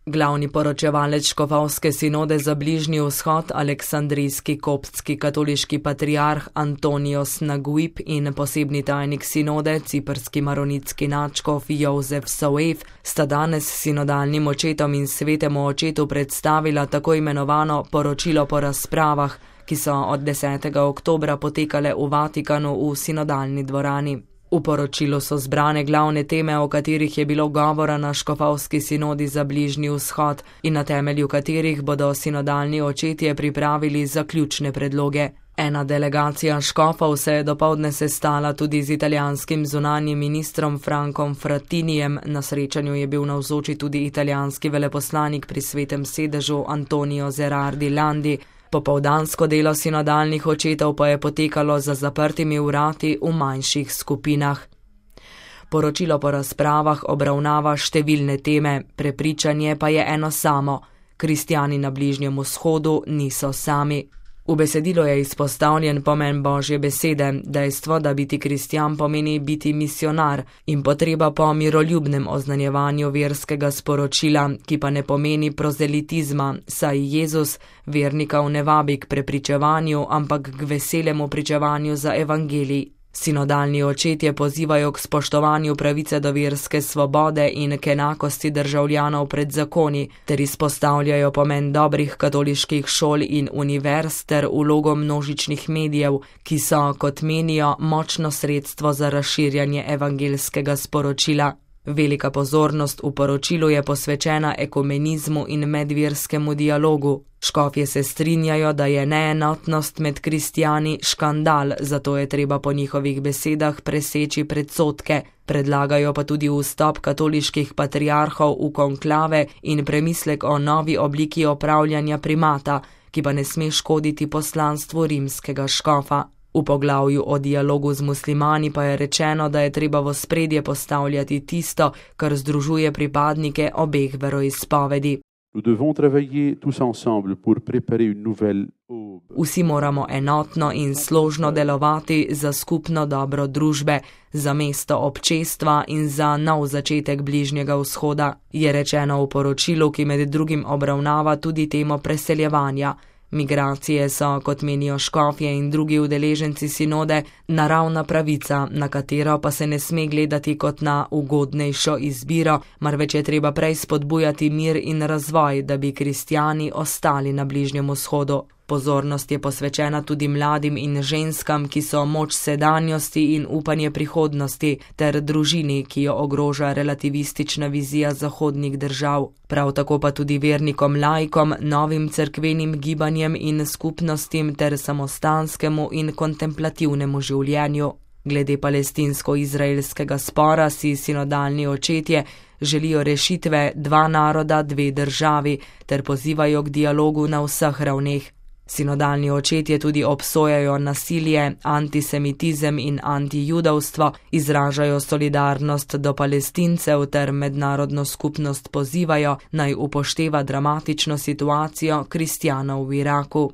Glavni poročevalec škofovske sinode za Bližnji vzhod, aleksandrijski koptski katoliški patriarh Antonios Naguib in posebni tajnik sinode, ciprski maronitski nadškof Jozef Sauef, sta danes sinodalnim očetom in svetemu očetu predstavila tako imenovano poročilo po razpravah, ki so od 10. oktobra potekale v Vatikanu v sinodalni dvorani. V poročilu so zbrane glavne teme, o katerih je bilo govora na škofovski sinodi za Bližnji vzhod in na temelju katerih bodo sinodalni očetje pripravili zaključne predloge. Ena delegacija škofov se je dopoldne sestala tudi z italijanskim zunanjim ministrom Frankom Frattinijem, na srečanju je bil navzoči tudi italijanski veleposlanik pri Svetem sedežu Antonio Zerardi Landi. Popoldansko delo sinodalnih očetov pa je potekalo za zaprtimi vrati v manjših skupinah. Poročilo po razpravah obravnava številne teme, prepričanje pa je eno samo: kristjani na Bližnjem vzhodu niso sami. V besedilu je izpostavljen pomen Božje besede, dejstvo, da biti kristjan pomeni biti misionar in potreba po miroljubnem oznanjevanju verskega sporočila, ki pa ne pomeni prozelitizma, saj Jezus vernikov ne vabi k prepričevanju, ampak k veselemu pričevanju za evangelij. Sinodalni očetje pozivajo k spoštovanju pravice do verske svobode in k enakosti državljanov pred zakoni, ter izpostavljajo pomen dobrih katoliških šol in univerz ter vlogo množičnih medijev, ki so, kot menijo, močno sredstvo za razširjanje evangeljskega sporočila. Velika pozornost v poročilu je posvečena ekumenizmu in medverskemu dialogu. Škofje se strinjajo, da je neenotnost med kristjani škandal, zato je treba po njihovih besedah preseči predsodke. Predlagajo pa tudi vstop katoliških patriarhov v konklave in premislek o novi obliki opravljanja primata, ki pa ne sme škoditi poslanstvu rimskega škofa. V poglavju o dialogu z muslimani pa je rečeno, da je treba v ospredje postavljati tisto, kar združuje pripadnike obeh veroizpovedi. Vsi moramo enotno in složno delovati za skupno dobro družbe, za mesto občestva in za nov začetek Bližnjega vzhoda, je rečeno v poročilu, ki med drugim obravnava tudi temo preseljevanja. Migracije so, kot menijo škofje in drugi udeleženci sinode, naravna pravica, na katero pa se ne sme gledati kot na ugodnejšo izbiro, marveč je treba prej spodbujati mir in razvoj, da bi kristjani ostali na Bližnjem vzhodu. Pozornost je posvečena tudi mladim in ženskam, ki so moč sedanjosti in upanje prihodnosti, ter družini, ki jo ogroža relativistična vizija zahodnih držav. Prav tako pa tudi vernikom laikom, novim cerkvenim gibanjem in skupnostim ter samostanskemu in kontemplativnemu življenju. Glede palestinsko-izraelskega spora si sinodalni očetje želijo rešitve dva naroda, dve državi, ter pozivajo k dialogu na vseh ravneh. Sinodalni očetje tudi obsojajo nasilje, antisemitizem in antijudovstvo, izražajo solidarnost do Palestincev ter mednarodno skupnost pozivajo, naj upošteva dramatično situacijo kristjanov v Iraku.